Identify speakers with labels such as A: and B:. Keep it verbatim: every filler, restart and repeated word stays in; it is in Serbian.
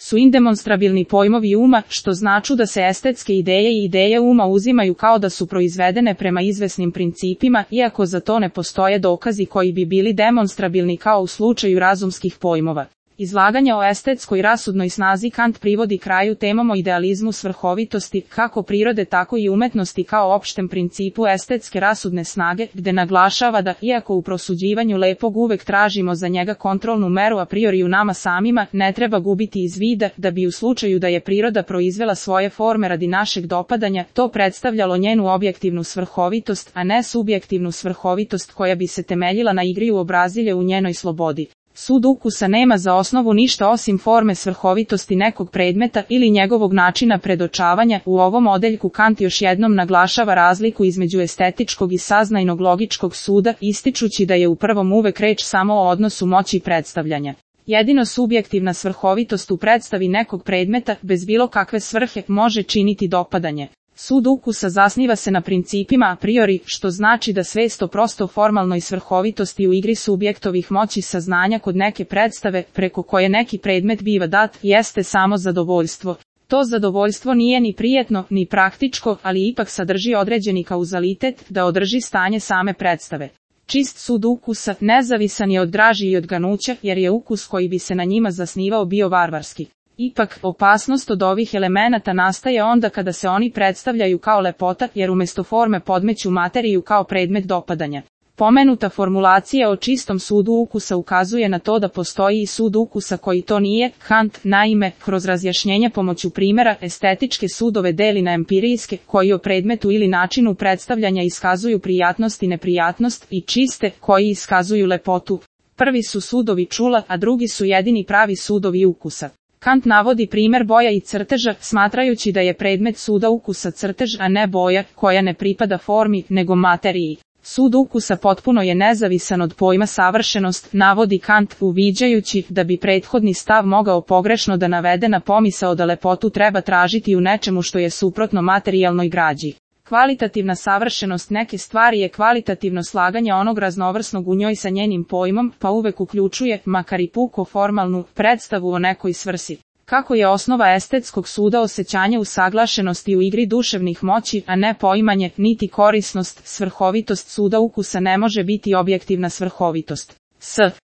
A: su indemonstrabilni pojmovi uma, što znači da se estetske ideje i ideje uma uzimaju kao da su proizvedene prema izvesnim principima, iako za to ne postoje dokazi koji bi bili demonstrabilni kao u slučaju razumskih pojmova. Izlaganje o estetskoj rasudnoj snazi Kant privodi kraju temom o idealizmu svrhovitosti, kako prirode tako i umetnosti kao opštem principu estetske rasudne snage, gde naglašava da, iako u prosuđivanju lepog uvek tražimo za njega kontrolnu meru a priori u nama samima, ne treba gubiti iz vida, da bi u slučaju da je priroda proizvela svoje forme radi našeg dopadanja, to predstavljalo njenu objektivnu svrhovitost, a ne subjektivnu svrhovitost koja bi se temeljila na igri u obrazilje u njenoj slobodi. Sud ukusa nema za osnovu ništa osim forme svrhovitosti nekog predmeta ili njegovog načina predočavanja. U ovom odeljku Kant još jednom naglašava razliku između estetičkog i saznajnog logičkog suda, ističući da je u prvom uvek reč samo o odnosu moći predstavljanja. Jedino subjektivna svrhovitost u predstavi nekog predmeta, bez bilo kakve svrhe, može činiti dopadanje. Sud ukusa zasniva se na principima a priori, što znači da svest o prosto formalnoj svrhovitosti u igri subjektovih moći saznanja kod neke predstave, preko koje neki predmet biva dat, jeste samo zadovoljstvo. To zadovoljstvo nije ni prijetno, ni praktičko, ali ipak sadrži određeni kauzalitet da održi stanje same predstave. Čist sud ukusa nezavisan je od draži i od ganuća, jer je ukus koji bi se na njima zasnivao bio varvarski. Ipak, opasnost od ovih elemenata nastaje onda kada se oni predstavljaju kao lepota, jer umjesto forme podmeću materiju kao predmet dopadanja. Pomenuta formulacija o čistom sudu ukusa ukazuje na to da postoji i sud ukusa koji to nije. Kant, naime, kroz razjašnjenje pomoću primjera, estetičke sudove deli na empirijske, koji o predmetu ili načinu predstavljanja iskazuju prijatnost i neprijatnost, i čiste, koji iskazuju lepotu. Prvi su sudovi čula, a drugi su jedini pravi sudovi ukusa. Kant navodi primjer boja i crteža, smatrajući da je predmet suda ukusa crtež, a ne boja, koja ne pripada formi, nego materiji. Sud ukusa potpuno je nezavisan od pojma savršenost, navodi Kant, uviđajući da bi prethodni stav mogao pogrešno da navede na pomisao da lepotu treba tražiti u nečemu što je suprotno materijalnoj građi. Kvalitativna savršenost neke stvari je kvalitativno slaganje onog raznovrsnog u njoj sa njenim pojmom, pa uvek uključuje, makar i puko formalnu, predstavu o nekoj svrsi. Kako je osnova estetskog suda osjećanje usaglašenosti u igri duševnih moći, a ne poimanje, niti korisnost, svrhovitost suda ukusa ne može biti objektivna svrhovitost. S.